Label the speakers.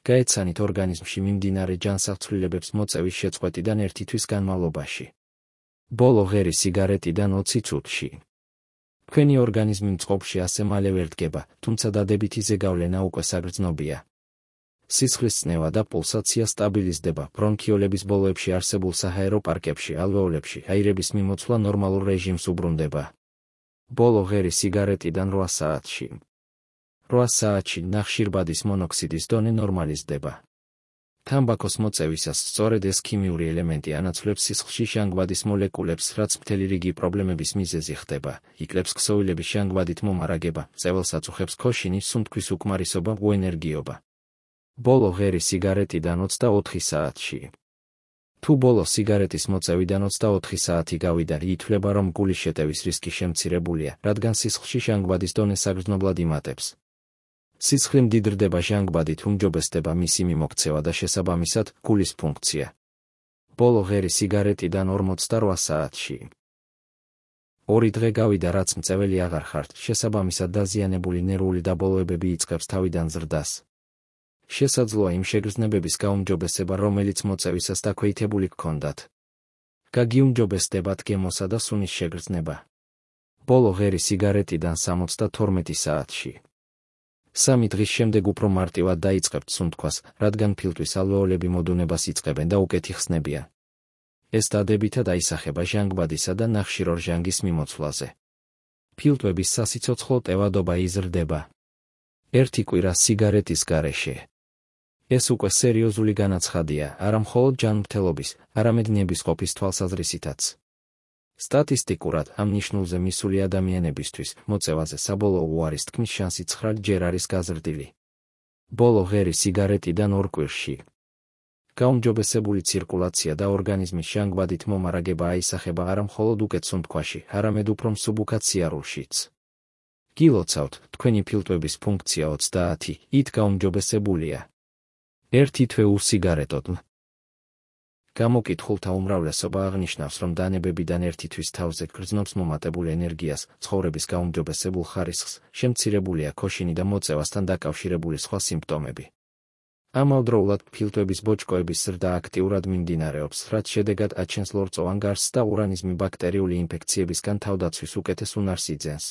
Speaker 1: გაეცანით ორგანიზმში მიმდინარე ჯანსაღცვლილებებს მოწევის შეწყვეტიდან 1 თვის განმავლობაში. ბოლო ღერი სიგარეტიდან 20 წუთში. თქვენი ორგანიზმი მწყობრში ასე მალე ვერ დგება, თუმცა დადებითი ზეგავლენა უკვე საგრძნობია. სისხლის წნევა და პულსაცია სტაბილიზდება, ბრონქიოლების ბოლოებში არსებულ საჰაერო პარკებში, ალვეოლებში აირების მიმოცვლა ნორმალურ რეჟიმს უბრუნდება. ბოლო ღერი სიგარეტიდან 8 საათში. 8 საათში ნახშირბადის მონოქსიდის დონე ნორმალიზდება. თამბაქოს მოწევისას სწორედ ეს ქიმიური ელემენტი ანაცვლებს სისხლში ჟანგბადის მოლეკულებს, რაც მთელი რიგი პრობლემების მიზეზი ხდება, იკლებს ქსოვილების ჟანგბადით მომარაგება, წეველს აწუხებს ქოშინი, სუნთქვის უკმარისობა, უენერგიობა. ბოლო ღერი სიგარეტიდან 24 საათში. თუ ბოლო სიგარეტის მოწევიდან 24 საათი გავიდა, ითვლება, რომ გულის შეტევის რისკი შემცირებულია, რადგან სისხლში ჟანგბადის დონე საგრძნობლად იმატებს. სისხლი მდიდრდება ჟანგბადით, უმჯობესდება მისი მიმოქცევა და შესაბამისად, გულის ფუნქცია. ბოლო ღერი სიგარეტიდან 48 საათში. 2 დღე გავიდა, რაც მწეველი აღარ ხართ, შესაბამისად დაზიანებული ნერვული დაბოლოებები იწყებს თავიდან ზრდას. შესაძლოა იმ შეგრძნებების გაუმჯობესება, რომელიც მოწევისას დაქვეითებული გქონდათ. გაგიუმჯობესდებათ გემოსა და სუნის შეგრძნება. ბოლო ღერი სიგარეტიდან 72 საათში. 3 დღის შემდეგ უფრო მარტივად დაიწყებთ სუნთქვას, რადგან ფილტვის ალვეოლები მოდუნებას იწყებენ და უკეთი ხსნებიან. ეს დადებითად აისახება ჟანგბადისა და ნახშირორჟანგის მიმოცვლაზე. ფილტვების სასიცოცხლო ტევადობა იზრდება. 1 კვირა სიგარეტის გარეშე. ეს უკვე სერიოზული განაცხადია, არა მხოლოდ ჯანმრთელობის, არამედ ნებისყოფის თვალსაზრისითაც. სტატისტიკურად ამ ნიშნულზე მისული ადამიანებისთვის მოწევაზე საბოლოო უარის თქმის შანსი 9 ჯერ არის გაზრდილი. ბოლო ღერი სიგარეტიდან 2 კვირში. გაუმჯობესებული ცირკულაცია და ორგანიზმის ჟანგბადით მომარაგება აისახება არა მხოლოდ უკეთ სუნთქვაში, არამედ უფრო მსუბუქად სიარულშიც. გილოცავთ, თქვენი ფილტვების ფუნქცია 30-ით გაუმჯობესებულია. 1 თვე უსიგარეტოდ. გამოკითხულთა უმრავლესობა აღნიშნავს, რომ დანებებიდან 1 თვის თავზე გრძნობს მომატებულ ენერგიას, ცხოვრების გაუმჯობესებულ ხარისხს, შემცირებულია ქოშინი და მოწევასთან დაკავშირებული სხვა სიმპტომები. ამავდროულად ფილტვების ბოჭკოების ზრდა აქტიურად მიმდინარეობს, რაც შედეგად აჩენს ლორწოვან გარსს და ორგანიზმი ბაქტერიული ინფექციებისგან თავდაცვის უკეთეს უნარს იძენს.